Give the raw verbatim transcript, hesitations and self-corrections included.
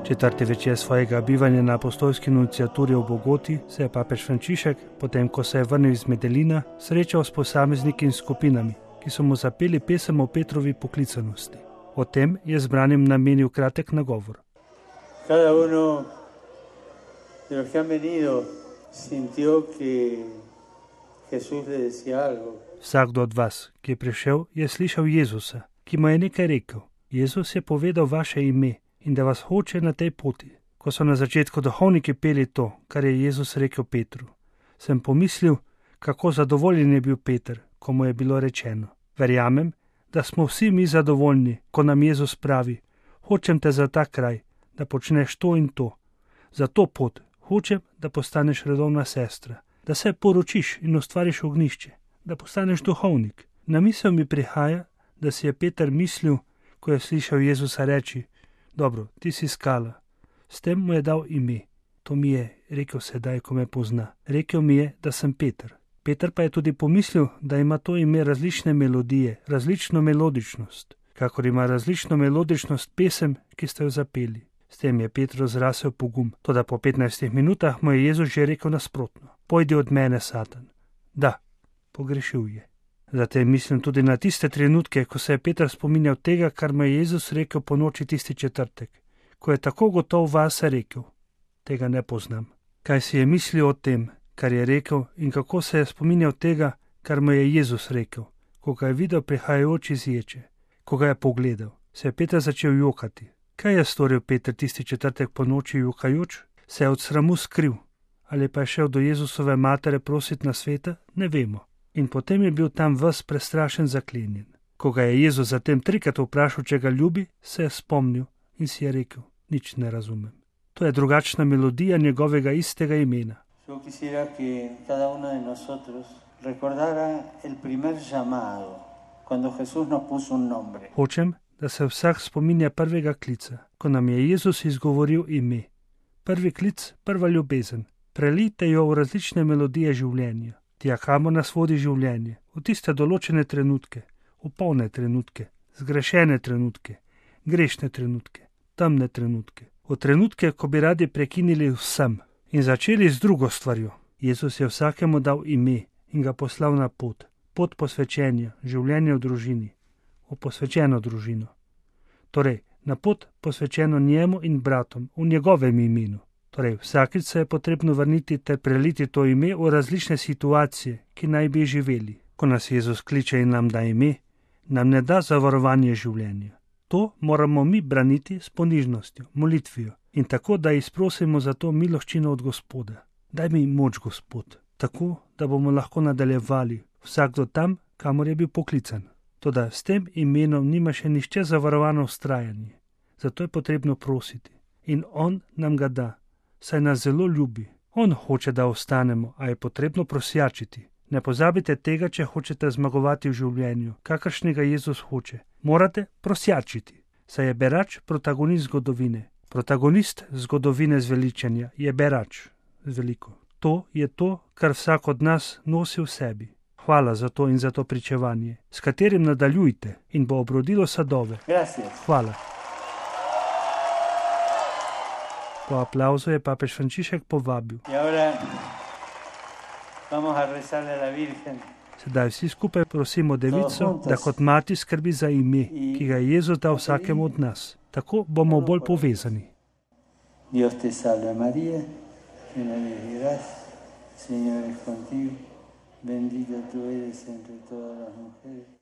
Četrti večer svojega bivanja na apostolski nunciaturi v Bogoti se je papež Frančišek, potem ko se je vrnil iz Medellina, srečal s posamezniki in skupinami, ki so mu zapeli pesem o Petrovi poklicanosti. O tem je zbranim namenil kratek nagovor. Cada uno de los que han venido sintió que Jesús le decía algo. Vsakdo od vas, ki je prišel, je slišal Jezusa, ki mu je nekaj rekel. Jezus je povedal vaše ime in da vas hoče na tej poti. Ko so na začetku duhovniki peli to, kar je Jezus rekel Petru, sem pomislil, kako zadovoljen je bil Peter, ko mu je bilo rečeno. Verjamem, da smo vsi mi zadovoljni, ko nam Jezus pravi, hočem te za ta kraj, da počneš to in to. Za to pot hočem, da postaneš redovna sestra, da se poročiš in ustvariš ognjišče, da postaneš duhovnik. Na misel mi prihaja, da si je Peter mislil, ko je slišal Jezusa reči, dobro, ti si skala. S tem mu je dal ime. To mi je rekel sedaj, ko me pozna. Rekel mi je, da sem Peter. Peter pa je tudi pomislil, da ima to ime različne melodije, različno melodičnost, kakor ima različno melodičnost pesem, ki ste jo zapeli. S tem je Petru zrasel pogum, toda po petnajstih minutah mu je Jezus že rekel nasprotno. Pojdi od mene, Satan. Da, pogrešil je. Zatem mislim tudi na tiste trenutke, ko se je Peter spominjal tega, kar mu je Jezus rekel po noči tisti četrtek, ko je tako gotov vase rekel. Tega ne poznam. Kaj si je mislil o tem, kar je rekel in kako se je spominjal tega, kar mu je Jezus rekel, ko ga je videl prihajajoč iz ječe, ko ga je pogledal, se je Peter začel jokati. Kaj je storil Peter tisti četrtek po noči jokajoč? Se je od sramu skril ali pa je šel do Jezusove matere prositi na sveta? Ne vemo. In potem je bil tam ves prestrašen zaklenjen. Ko ga je Jezus zatem trikrat vprašal, če ga ljubi, se je spomnil in si je rekel, nič ne razumem. To je drugačna melodija njegovega istega imena. Yo quisiera que cada uno de nosotros recordara el primer llamado, cuando Jesús nos puso un nombre. Hočem, da se vsak spominja prvega klica, ko nam je Jezus izgovoril ime. Prvi klic, prva ljubezen. Prelijte jo v različne melodije življenja. Tja, kamor nas vodi življenje, v tiste določene trenutke, v polne trenutke, zgrešene trenutke, grešne trenutke, temne trenutke, v trenutke, ko bi radi prekinili vsem in začeli z drugo stvarjo. Jezus je vsakemu dal ime in ga poslal na pot, pot posvečenja, življenja v družini, v posvečeno družino. Torej, na pot posvečeno njemu in bratom, v njegovem imenu. Torej, vsakič se je potrebno vrniti ter preliti to ime v različne situacije, ki naj bi živeli. Ko nas Jezus kliče in nam da ime, nam ne da zavarovanje življenja. To moramo mi braniti s ponižnostjo, molitvijo in tako, da izprosimo za to miloščino od Gospoda. Daj mi moč, Gospod, tako, da bomo lahko nadaljevali vsakdo tam, kamor je bil poklican. Toda s tem imenom nima še nišče zavarovano vztrajanje. Zato je potrebno prositi. In on nam ga da. Saj nas zelo ljubi. On hoče, da ostanemo, a je potrebno prosjačiti. Ne pozabite tega, če hočete zmagovati v življenju, kakršnega Jezus hoče. Morate prosjačiti. Saj je berač protagonist zgodovine. Protagonist zgodovine zveličenja je berač z veliko. To je to, kar vsak od nas nosi v sebi. Hvala za to in za to pričevanje, s katerim nadaljujte in bo obrodilo sadove. Gracias. Hvala. Po aplauzu je papež Frančišek povabil. Sedaj vsi skupaj prosimo Devico, da kot mati skrbi za ime, ki ga je Jezus dal vsakemu od nas. Tako bomo bolj povezani. Dios te salve María, llena eres de gracia, Señor es contigo, bendita tú eres entre todas las mujeres.